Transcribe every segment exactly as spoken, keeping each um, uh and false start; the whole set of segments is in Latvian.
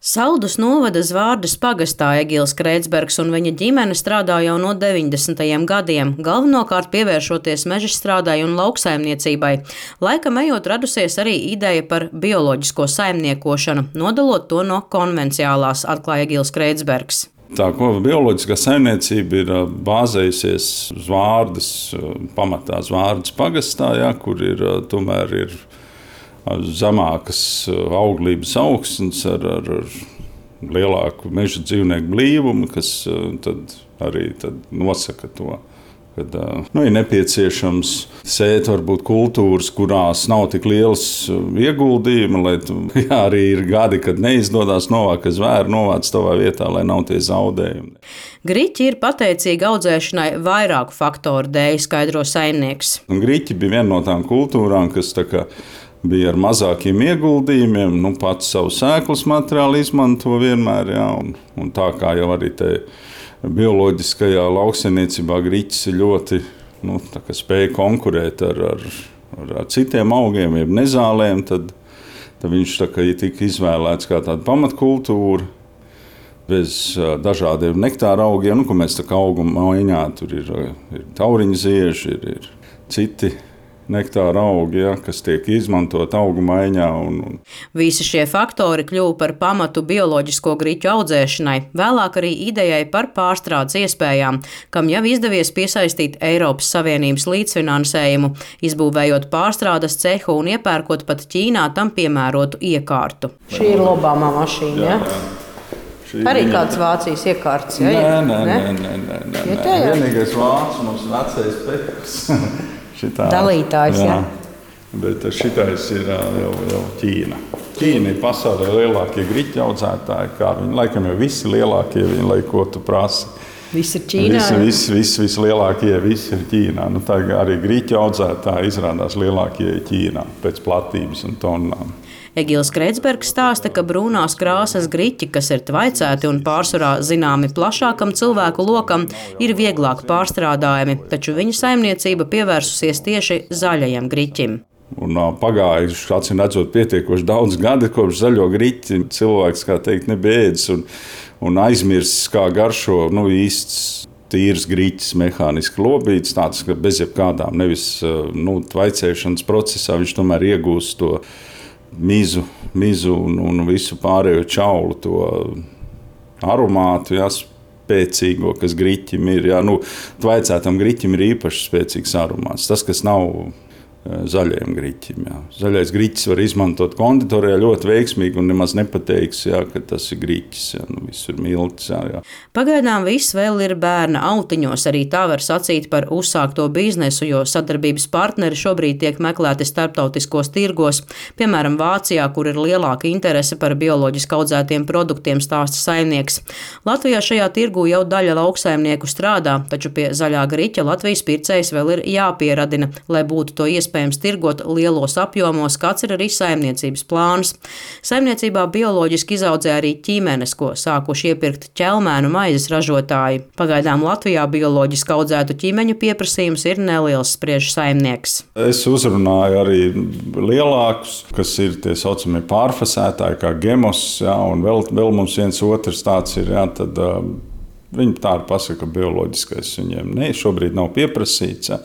Saldus novada Zvārdas pagastā Egils Kreitsbergs un viņa ģimene strādā jau no deviņdesmitajiem gadiem, galvenokārt pievēršoties mežstrādai un lauksaimniecībai. Laikam ejot radusies arī ideja par bioloģisko saimniekošanu, nodalot to no konvenciālās, atklāja Egils Kreitsbergs. Tā ko bioloģiskā saimniecība ir bāzējusies Zvārdas, pamatā Zvārdas pagastā, ja, kur ir tomēr ir zemākas auglības augsnes ar, ar, ar lielāku meža dzīvnieku blīvumu, kas tad arī tad nosaka to. Kad nu, ir nepieciešams sēt varbūt kultūras, kurās nav tik liels ieguldījumi, lai tu, jā, arī ir gadi, kad neizdodas novākt, ka zvēri novāc tavā vietā, lai nav tie zaudējumi. Griķi ir pateicīgi audzēšanai vairāku faktoru dēļ, skaidro saimnieks. Un griķi bija viena no tām kultūrām, kas tā kā bija ar mazākiem ieguldījumiem, nu, pats savu sēklas materiālu izmanto vienmēr, jā, un, un tā kā jau arī te bioloģiskajā lauksaimniecībā griķis ir ļoti nu, spēja konkurēt ar, ar, ar, ar citiem augiem, jeb nezālēm, tad, tad viņš tā kā tika izvēlēts kā tāda pamatkultūra bez dažādiem nektāra augiem, nu, ko mēs tā kā auguma maiņā, tur ir, ir tauriņa zieži, ir, ir citi nektāra augi, ja, kas tiek izmantot augu maiņā. Un, un. Visi šie faktori kļuva par pamatu bioloģisko griķu audzēšanai, vēlāk arī idejai par pārstrādes iespējām, kam jau izdevies piesaistīt Eiropas Savienības līdzfinansējumu, izbūvējot pārstrādes cehu un iepērkot pat Ķīnā tam piemērotu iekārtu. Šī ir Obama mašīna, ja? Šī arī viņa... kāds Vācijas iekārts, ja? Nē, nē, nē, nē, nē, nē, nē. nē. Vienīgais Vācis mums vecais Petrs. Šitā, dalītājs, jā. jā. Bet šitais ir jau, jau Ķīna. Ķīna ir pasaulē lielākie griķu audzētāji, kā viņi, laikam jau visi lielākie, viņi, lai ko tu prasi. Visi ir Ķīnā? Visi, visi, visi, visi lielākie, visi ir Ķīnā. Nu, tā arī griķu audzētāji izrādās lielākie Ķīnā pēc platības un tonnām. Egils Kreitsbergs stāsta, ka brūnās krāsas griķi, kas ir tvaicēti un pārsvarā zināmi plašākam cilvēku lokam, ir vieglāk pārstrādājami, taču viņa saimniecība pievērsusies tieši zaļajam griķim. Un pagājuši, acīm redzot, pietiekoši daudz gadi, kopš zaļo griķi cilvēks, kā teikt, nebija ēdis un, un aizmirsis, kā garšo nu, īsts tīrs griķis, mehāniski lobīts, tāds, ka bez jebkādām nevis nu, tvaicēšanas procesā viņš tomēr iegūst to mizu, mizu un, un visu pārējo čaulu, to aromātu, jā, spēcīgo, kas griķim ir. Jā, nu, tvaicētam griķim ir īpaši spēcīgs aromāts. Tas, kas nav zaļajam griķim. Jā. Zaļais griķis var izmantot konditorijā ļoti veiksmīgi un nemaz nepateiks, jā, ka tas ir griķis. Jā. Nu, viss ir milts. Jā, jā. Pagaidām viss vēl ir bērna autiņos. Arī tā var sacīt par uzsākto biznesu, jo sadarbības partneri šobrīd tiek meklēti starptautiskos tirgos. Piemēram, Vācijā, kur ir lielāka interese par bioloģiski audzētiem produktiem, stāsta saimnieks. Latvijā šajā tirgū jau daļa lauksaimnieku strādā, taču pie zaļā griķa Latvijas pircējs vēl ir jāpieradina, lai būtu to iespējams. Iespējams tirgot lielos apjomos, kāds ir arī saimniecības plāns. Saimniecībā bioloģiski izaudzē arī ķīmenes, ko sākuši iepirkt ķelmēnu maizes ražotāji. Pagaidām Latvijā bioloģiski audzētu ķīmeņu pieprasījums ir neliels, spriež saimnieks. Es uzrunāju arī lielākus, kas ir tie saucamie pārfasētāji, kā gemos, jā, un vēl, vēl mums viens otrs tāds ir, jā, tad uh, viņi tā pasaka, ka bioloģiskais viņiem ne, šobrīd nav pieprasīts. Jā.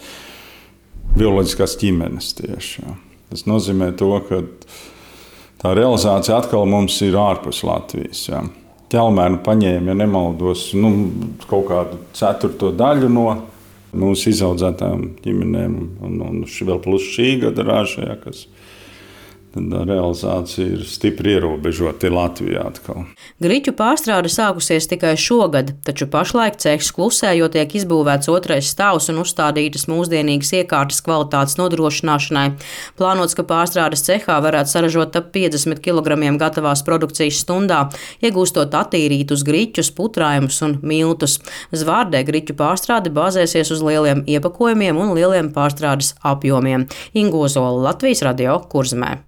Bioloģiskās ķimenes tieši. Jā. Tas nozīmē to, ka tā realizācija atkal mums ir ārpus Latvijas. Jā. Ķelmēnu paņēma, ja nemaldos, nu, kaut kādu ceturto daļu no mūsu izaudzētām ģimenēm, un, un vēl plus šī gada raža, jā, kas tad realizācija ir stipri ierobežota Latvijā atkal. Griķu pārstrāde sākusies tikai šogad, taču pašlaik cehs klusē, jo tiek izbūvēts otrais stāvs un uzstādītas mūsdienīgas iekārtas kvalitātes nodrošināšanai. Plānots, ka pārstrādes cehā varētu saražot ap piecdesmit kilogramiem gatavās produkcijas stundā, iegūstot attīrītus griķus, putrājumus un miltus. Zvārdē griķu pārstrāde bāzēsies uz lieliem iepakojumiem un lieliem pārstrādes apjomiem. Inga Ozola, Latvijas radio, Kurzemē.